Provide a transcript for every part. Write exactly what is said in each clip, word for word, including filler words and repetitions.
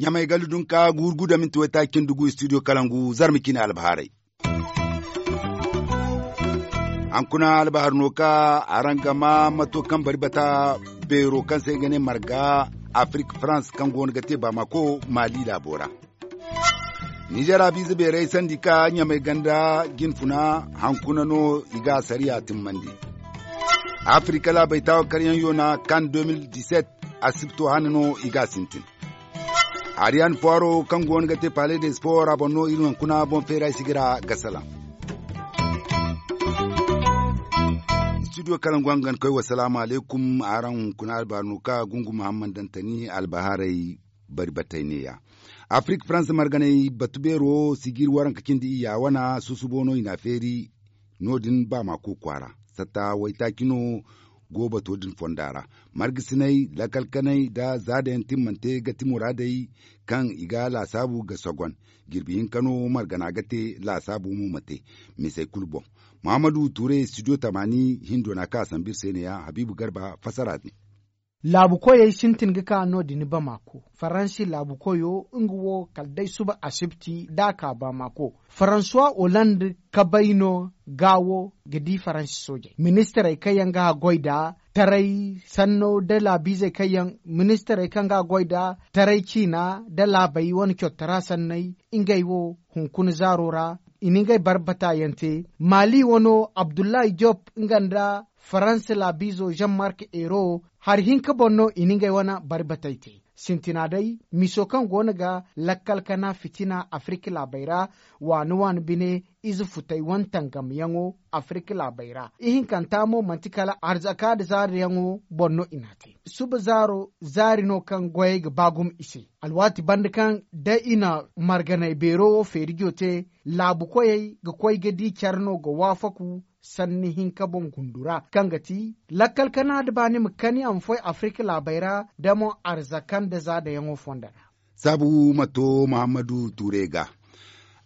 Ɲamay gallu dunka guuru guda minti waytaaci nda gu studio kalangu zarma cine albahaarey. Hankuna albahar no ka araŋ ga ma mato kaŋ bari bata beero kaŋ se i ga ne marga afirik farans kaŋ go no ga te baamako maali laabo ra. Nizeer abiize beerey sandi ka ɲamay ganda jinfuna hankuna no i ga asariya timmandi. Afirik laabey taawa karyaŋ yoona kan de mil diset asibto hane no i ga a sintin. Ariyan puwaro kaŋ go no ga te pale de sport a boŋ no iri hunkuna boŋ feera ay si ga ra ga salaŋ. Studio kalaŋ go a ga ni koy wasalaamu alaykum. Araŋ hunkuna albahar no ka gungu muhammad dantani albahaarey bari batey neeya. Afirik farans marganey batu beero si ga iri waranka cindi iyya wana susubo no i n'a feeri. No- din baamako kwaara satta waytaaci no go bato din fonda ra. Margasiney lakalkaney nda zaadayaŋ timmante ga ti muraadey kaŋ i ga laasaabu ga sogon. Jirbi hinka no margana ga te laasaabu mo ma te misey kulu boŋ. Muhammadu ture studio tamaani hindo n'a ka a sambu iri se neeya habiibu garba fassara din. Laabu koyey sintin ga ka no- din bamako faransi laabu koyo nga wo kala day suba asibti da a ka bamako. Faransuwa holand kabay no gaawo ga di faransi soojey ministirey kaŋ yaŋ ga a goy nd'a taray sanno nda laabiizey kaŋ yaŋ ministirey kaŋ ga a goy nd'a taray ciina nda laabey wane coro tara sanney. Ngey wo hunkuna zaaro ra i na ngey barbata yaŋ te maali wano abdullahi job nga nda faransa laabiizo jean mark ero hari hinka boŋ no i na ngey wane bari batey te. Sintina day miso kaŋ go no ga lakkal kana fitina afirik laabey ra waani waani bine ize futey wane tangamyaŋo afirik laabey ra ihinkanta mo manti kala arzaka nda zaariyaŋo boŋ no i n'a te. Suba zaaro zaari no kaŋ goyey ga ba gumo i se alwaati banda kaŋ da i na marganay beero wo feerijo te laabu koyey ga koy ga di care no ga waafaku sanni hinka boŋ gundu ra kaŋ ga ti lakkal kana da baani ma kani a ma foy afirik laabey ra da mo arzaka nda zaadayaŋo fonda ra. Saabu ma to muhammadu ture ga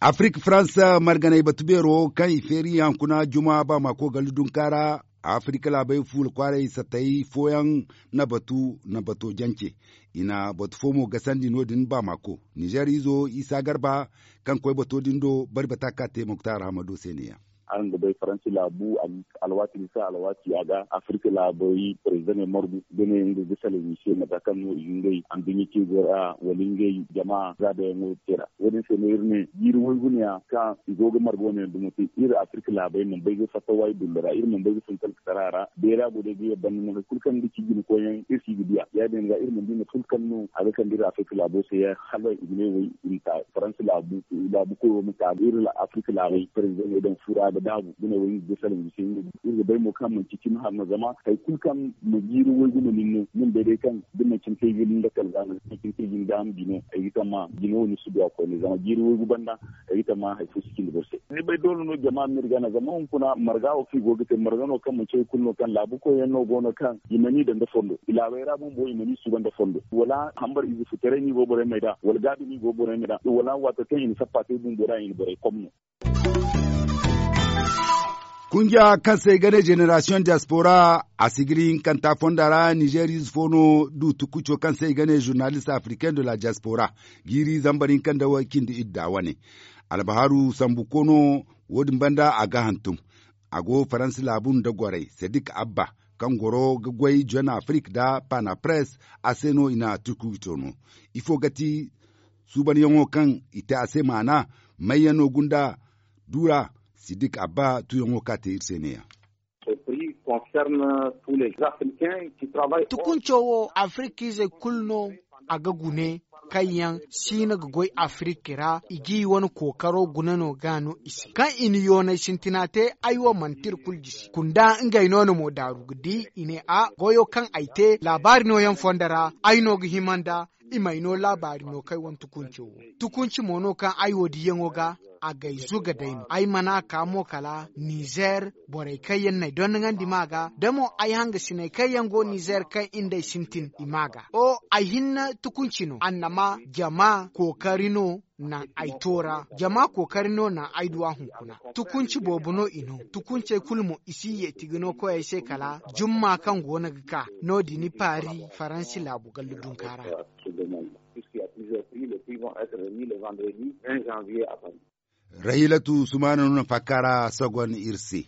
afirik faransa marganey batu beero kaŋ i feeri yaŋ kuna juma ba maako gallu dunka ra. Afirik laabey fuula kwaaray satay fooyaŋ na batu na bato jance i na batu fo mo gasandi no- din ba maako nizeer izo isa garba kaŋ koy bato din do bari bata ka te muktar hamado se ne yaŋ. Araŋ ga bay faransi laabu alwaati bisa alwaati a ga afirka laabey parezidaŋey margu da ne nga ga salaŋ i se mata kaŋ no i ga ngey anduɲɲa te go ra wala ngey jama zaadayaŋo te ra wo- din se no iri ne jiiri waygu ne ya kaŋ i go ga marga wane yaŋ dumo te iri afirka laabey mana bay ga fatta waay dulla ra iri mana bay ga fun talkatara ra beera go day ga yabban no hari kulu kaŋ ga ci jina koyyaŋ iri si ga diya ya- din ga iri mana di mate kulu kaŋ no a ga kande iri afirka laabo se ya hala i ga ne way i ma ta faransa laabu laabu koyo ma ta iri afirka laabey parezidaŋey daŋ fura ga daabu ga ne way nga ga salaŋ i se iri ga bay mo kaŋ manci cimi har no zama hari kulu kaŋ ma jiiri waygu ma nin no nin bay day kaŋ da manci ni kay ga ni lakal ga no da manci ni kay ga ni daama bino ay ga tamma jina wo ni si du a koyne zama jiiri waygu banda ay ga tamma hari fo si cindi boro se ni bay doole no jama ma iri gana zama hunkuna marga wo kaŋ i go ga te marga no kaŋ manci hari kulu no kaŋ laabu koyyaŋ no go no kaŋ i mana i daŋ nda fondo i laabey ra bumbo i mana i suuban nda fondo wala hambar ize futaray no i go borey ma ay da wala gaabi no i go borey ma ay da wala waato kaŋ i na sappa te bumbo ra i na borey kom no. Kunja kaŋ se i ga ne jenerasiyoŋ diyaspora a sigiri hinkanta fonda ra nizeer ize fo no du tukuco kaŋ se i ga ne zurnalist africain de la diaspora jiiri zambar hinka nda way cindi idda wane albaharu sambu koono wo- din banda a ga hantum. A go faransa laabu nda gorey sadik abba kaŋ goro ga goy jon afrik nda panapres a se no i na tukuco no ifo ga ti suubanyaŋo kaŋ i te a se maana mayyaŋ no gunda duura sidik abba tuyaŋo ka te iri se ne ya. Tukunco wo afrikizey kulu no a ga gune kaŋ yaŋ siina ga goy afiriki ra i g'i wane kookaro gune no ga no i se kaŋ i na yoonay sintina te ay wo manti iri kulu jisi kunda ngey no na mo daaru ga di i ne a goyo kaŋ ay te laabaari nooyaŋ fondo ra ay no ga hima nda i m'ay no laabaari no kaŋ ay wane tukunco wo tukunci mo no kaŋ ay wo diyaŋo ga a gay zuga day no ay mana ka mo kala nizer borey kaŋ yaŋ n'ay dondoŋandi ma ga da mo ay hangasiney kaŋ yaŋ go nizer kaŋ i nd'ay sintin i ma ga o ay hinne tukunci no annama jama kookari no naŋ ay toora jama kookari no naŋ ay duw'a hunkuna tukunci boobo no i no tukuncey kulu mo i si yeeti ga no koyey se kala jumma kaŋ go no ga ka no- din paari faransi laabu gallu dunka ra. Rahilatu sumaana no na faakara sogon iri se.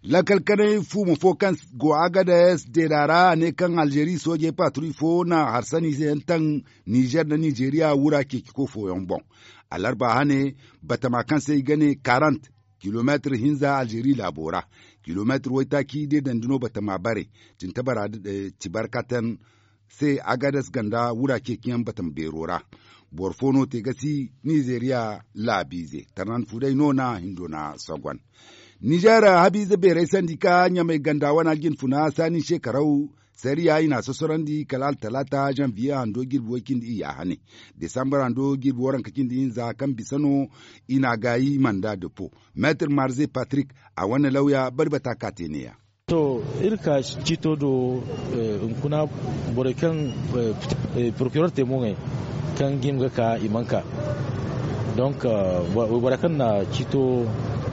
Lakkal kanay fuuma fo kaŋ go agades deeda ra a ne kaŋ alzeeri soojey paaturi fo na harsani se yaŋ taŋ nizer nda nizeriya wura ceeci ko fooyaŋ boŋ. Alarba hane batama kaŋ se i ga ne karant kilomeetir hinza alzeeri laabo ra kilomeetir waytaaci deedandi no batama bare cintabara cibarkatan se agades ganda wura ceeciyaŋ batama beero ra. Boro fo no te ga si nizeeriya laabiize tarnan fuday no na hindo na sogon. Nizer habiize beeray sandi ka ɲamay ganda wana jinfuna saani se karaw sariya i na a sosorandi kala altalaata zanviye hando jirbi way cindi iyya hane desambar hando jirbi waranka cindi hinza kaŋ bisa no i na a gaayi manda depo. Meetir marze patrik a wane lawya bari bata ka te neeya. To, iri ka ciito do hunkuna borey kaŋ porokiror te mo ŋey kaŋ ga hima ga ka i mana ka. Donk waybora kaŋ na ciito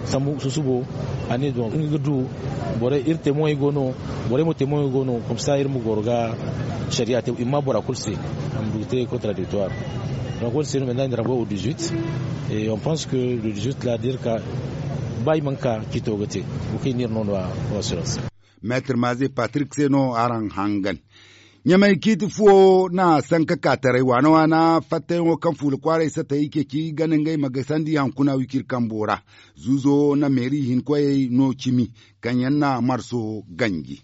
sambu susubo a ne donk nga ga du borey iri te mo ŋey go no borey mo te mo ŋey go no komsa iri ma goro ga sariya te i ma bora kulu se. A ma du ga te kontradiktuwar. Donk wo- din se no menta iri na rambo wo dizuit. Et on pense que le dizuit la da iri ka ba i mana ka ciito ga te. Wo kaŋ i ne iri no no a assurance. Meetir maze patrik se no araŋ hangan. Ɲamay ciiti fuwo na sanka ka taray waana waana fattayaŋo kaŋ fuula kwaaray satay ceeci gana ngey ma gasandi hankuna wiciri kambo ra. Zuuzo na meeri hinkoyey no cimi kaŋ yaŋ na marso ganji.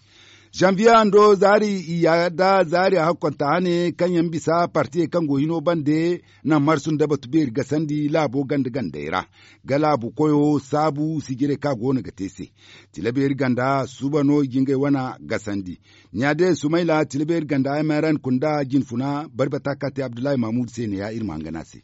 Zanviye hando zaari iyya da zaari hakkonta hane kaŋ yaŋ bisa partiyey kaŋ go hino bande na marsu nda batu beeri gasandi laabo ganda gandey ra. Ga laabu koyo saabu sijirey kaŋ a go no ga te se. Tila beeri ganda suuba no i ga ngey wane gasandi. Ɲaade sumayla tila beeri ganda m r n kunda jinfuna bari bata kaŋ a te abdullahi mahmud se ne ya iri ma hangan a se.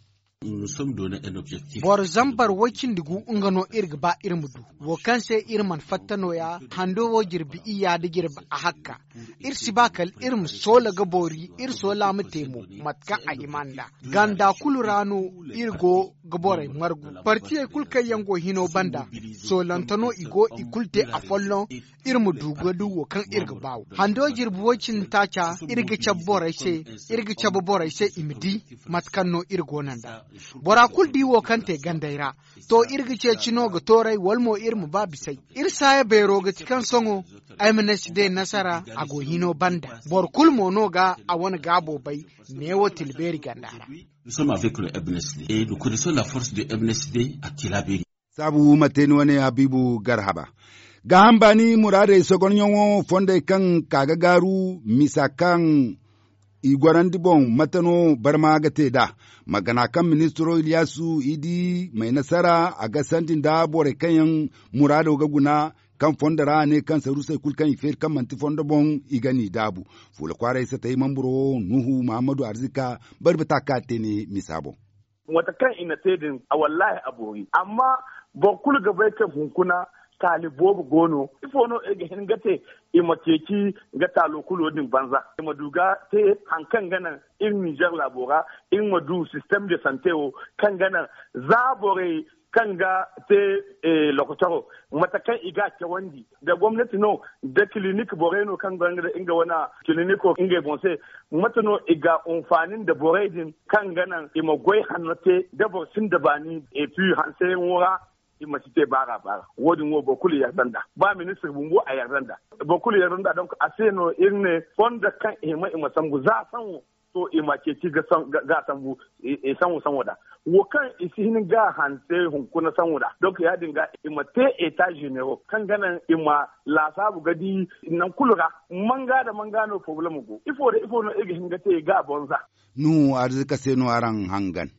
Boro zambar way cindi gu nga no iri ga ba iri ma du. Wo kaŋ se iri mana fatta nooya hando wo jirbi iyya nda jirbi ahakka. Iri si ba kala iri ma soola ga boori iri soola ma te mo mate kaŋ a hima nd'a. Ganda kulu ra no iri go ga borey margu partiyey kulu kaŋ yaŋ go hino banda. Soolante no i go i kulu te afolloŋ. Iri ma du ga du wo kaŋ iri ga ba wo hando jirbi way cindi taaca iri ga cabe borey se. Iri ga cabe borey se i ma di mate kaŋ no iri go no nd'a. Bora kulu di wo kaŋ te gandey ra. To iri ga ceeci no ga tooray wala mo iri ma ba bisay. Iri saaya beero ga ti kaŋ sohõ ay ma ne si day nasara a go hino banda boro kulu mo no ga a wane gaabo bay. Neewo tilbeeri ganda ra. Saabu ma te ni wane habiibu garhaba. Gaaham baani muraadey sogonyaŋo fondey kaŋ ka ga gaaru misa kaŋ i gorandi boŋ mate no barma ga te nd'a. Ma gana kaŋ ministiro iliyaasu i di may nasara a ga sandi nda borey kaŋ yaŋ muraado ga guna kaŋ fondo ra a ne kaŋ sarusey kulu kaŋ i feeri kaŋ manti fondo boŋ i ga n'i daabu. Fuula kwaaray satay mamburo nuhu mahammadu arzika bari bata ka te ne misa boŋ. Mate kaŋ i na te din a wallaahi a boori amma boro kulu ga bay kaŋ hunkuna taali boobo go no. Ifo no iri ga hin ga te i ma ceeci ga taalo kulo din banza i ma du ga te hari kaŋ ga naŋ iri ninzeer laabo ra iri ma du sistem de sante wo kaŋ ga naŋ za borey kaŋ ga te lokotoro mate kaŋ i ga a cawandi da gomnati no da kilinik borey no kaŋ gonda nga wane kiliniko ngey boŋ se. Mate no i ga anfaani nda borey din kaŋ ga naŋ i ma goy hanno te da boro sinda baani epi hanseyaŋo ra i ma si te baara baara. Wo- din wo boro kulu yarda nd'a ba ministir bumbo a yarda nd'a. Boro kulu yarda nd'a donk a se no iri ne fondo kaŋ i hima i ma sambu za saŋo to i ma ceeci ga sambu i saŋo saŋo nd'a. Wo kaŋ i si hin ga hanse hunkuna saŋo nd'a donk ya- din ga i ma te eta zenero kaŋ ga naŋ i ma laasaabu ga di naŋ kulu ra. Manga nda manga no porobalem go ifo nda ifo no iri ga hin ga te ga a boŋ za. Nuhu arzika se no araŋ hangan.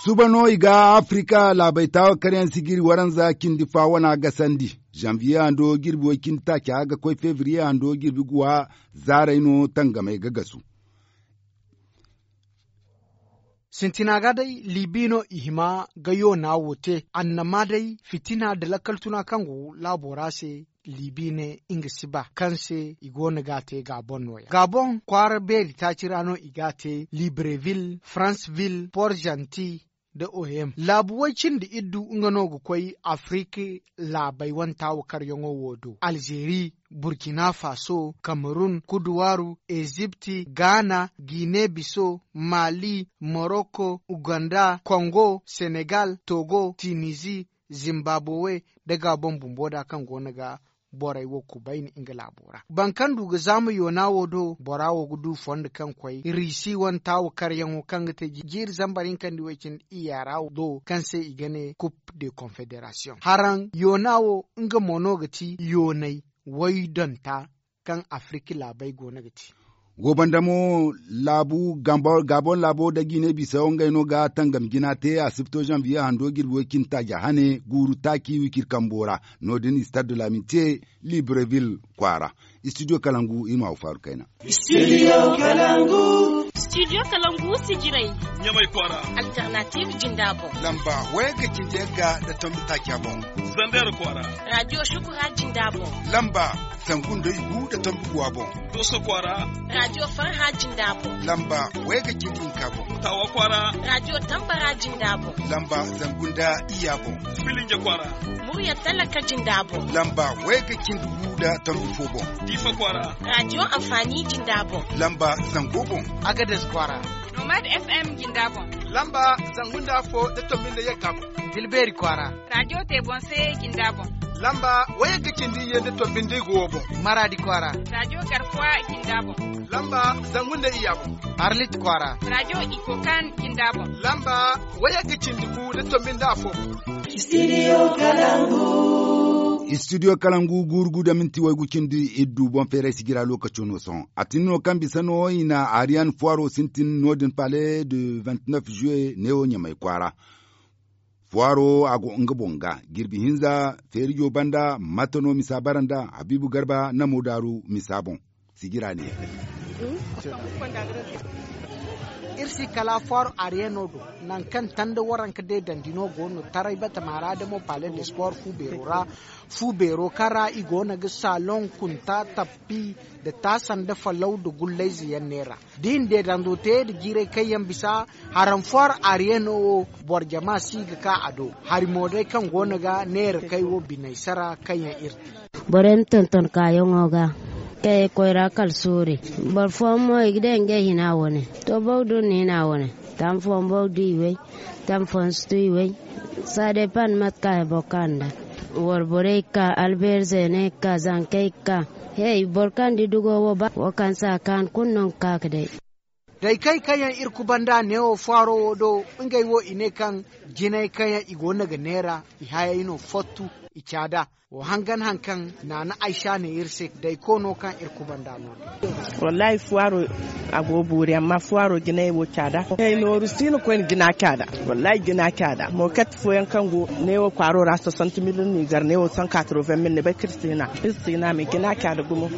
Suba no i ga afirika laabey taawa karyaŋ sigiri waranza cindi fa wana gasandi. Zanviye hando jirbi way cindi taaca ga koy fevriye hando jirbi guwa zaaray no tangamey ga gasu. Sintina ga day libi no i hima ga yoona wo te annama day fitina nda lakkal tuna kaŋ go laabo ra se. Libi ne nga si ba kaŋ se i go no ga a te gaabon no- ya gaabon kwaara beeri taaci ra no i ga a te librevil, fransevil, port zanti, nda o m laabu way- cindi iddu nga no ga koy afirika. Laabey wane taawakaryaŋo wo do alzeeri, burkina faso, kamerun, kuduwaaru, ezipti, gaana, gine biso, maali, moroko, uganda, kongo, senegal, togo, tinizi, zimbabowe, nda gaabon bumbo da kaŋ go no ga borey wo kubayni nga laabo ra. Boro kaŋ du ga zaama yoona wo do bora wo ga du fondo kaŋ koy riisi wane taawakaryaŋo kaŋ ga te jiiri zambar hinka nda i way- cindi iyya ra do kaŋ se i ga ne kup de konfederasiyoŋ haraŋ yoona wo nga mo no ga ti yoonay waydonta kaŋ afirika laabey go no ga te. Go banda mo laabu gaabon laabo nda gine bisayo ngey no ga tangam jina te asibto zanviye hando jirbi way- cindi taaja hane guuru taaci wiciri kambo ra. No- din stade de laminte librevil kwaara. Studio kalangu i ma wa faaru kayna. Studio kalangu sijirey ɲamay kwaara. Alternative jinda boŋ lamba wayga cindi yagga nda tombi taaca boŋ. Zandera kwaara radio shukura jinda boŋ lamba zangu nda igu nda tombi guwa boŋ. Dooso kwaara radio farha jinda boŋ lamba wayga cindi hinka boŋ. Tawa kwaara radio tambara jinda boŋ lamba zangu nda iyya boŋ. Filinja kwaara murya talaka jinda boŋ lamba wayga cindi gu nda tombi fo boŋ. Diifa kwaara radio anfaani jinda boŋ lamba zango boŋ. Agades kwaara nomad fm jinda boŋ lamba zangu nda afo nda tombi nda yagga boŋ. Tilbeeri kwaara radio te boŋ se jinda boŋ lamba wayagga cindi iyye nda tombi nda igu wo boŋ. Maraadi kwaara radio garfuwa jinda boŋ lamba zangu nda iyya boŋ. Arlit kwaara radio ikokan jinda boŋ lamba wayagga cindi gu nda tombi nda afo boŋ. Studio kalangu guuru gu nda minti waygu cindi iddu boŋ feeray sijira lookaco no sohõ a tin no kaŋ bisa no i na ariyan fuwaro sintin no- din palais de vingt-neuf juillet neewo ɲamay kwaara. Fuwaro a go nga boŋ ga jirbi hinza feerijo banda mate no misa bara nda habiibu garba namo daaru misa boŋ. Sijira ne ya iri si kala fort ariyano do nangu kaŋ tanda waranka deedandi no go no taray batama ra damo palais de sport fu beero ra. Fu beero kaŋ ra i go no ga salon kunta tappi nda taasa nda falaw nda gullayze yaŋ neera da i na deedando te nda jiiray kaŋ yaŋ bisa. Haraŋ fort ariyano wo boro jama si ga ka a do hari mo day kaŋ go no ga neera kay wo biney sara kaŋ yaŋ iri te. Borey ma tonton kaayaŋo ga kaŋ ay koy ra kala soori. Boro fooyaŋ mo i ga day ngey hina wane to bawdu nda hina wane. Taŋ fooyaŋ bawdu i way taŋ fooyaŋ si tu i way. Saa day pan mate kaŋ ay boro ka nda wara borey ga ka albeer zeeney ga ka zankey ga ka. Hey boro kaŋ di dugo wo ba wo kaŋ se a kaanu kulu no ga ka ga day. Daykey kaŋ yaŋ iri kubanda neewo faaro wo do ngey wo i ne kaŋ jinay kaŋ yaŋ i go no ga neera i hayey no fottu i caada. Wo hangan haŋ kaŋ naana aysa ne iri se dayko no kaŋ iri kubanda no din. Wallahi fuwaaro a go boori amma fuwaaro jinay wo caada. Hey nooru si no koyne jina caada. Wallahi jina caada moket fooyaŋ kaŋ go neewo kwaaro ra soixante mille nizer neewo cent quatre-vingt mille ni bay kaŋ iri si hina iri si hina me jina caada gumo.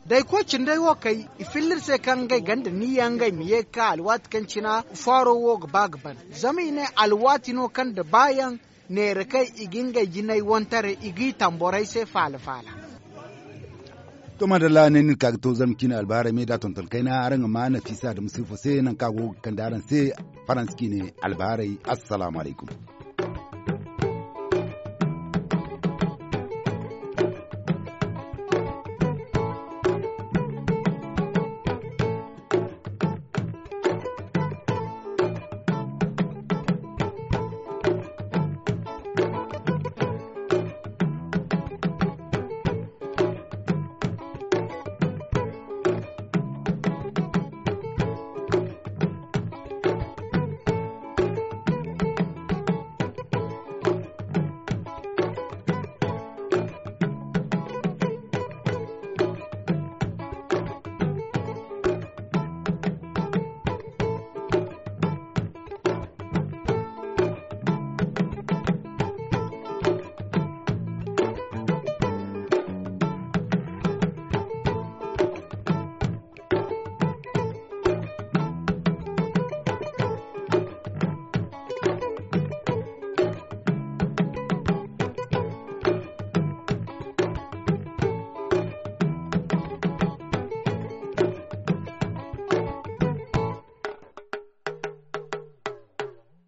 Dayko cinday wo kay i filla iri se kaŋ ngey ganda niyya ngey ma ye ga ka alwaati kaŋ cina faaro wo ga ba ga ban. Zama i ne alwaati no kaŋ da baayaŋ neera kaŋ i ga ngey jinay wantaray i g'i taŋ borey se faala faala. To madalla ne no iri ka ga to zarma ciine albahaarey me da tonton kayna araŋ ga ma nafiisa da musiifo se nangu kaŋ a go ga kande araŋ se faransa ciine albahaarey. Assalaamu alaykum.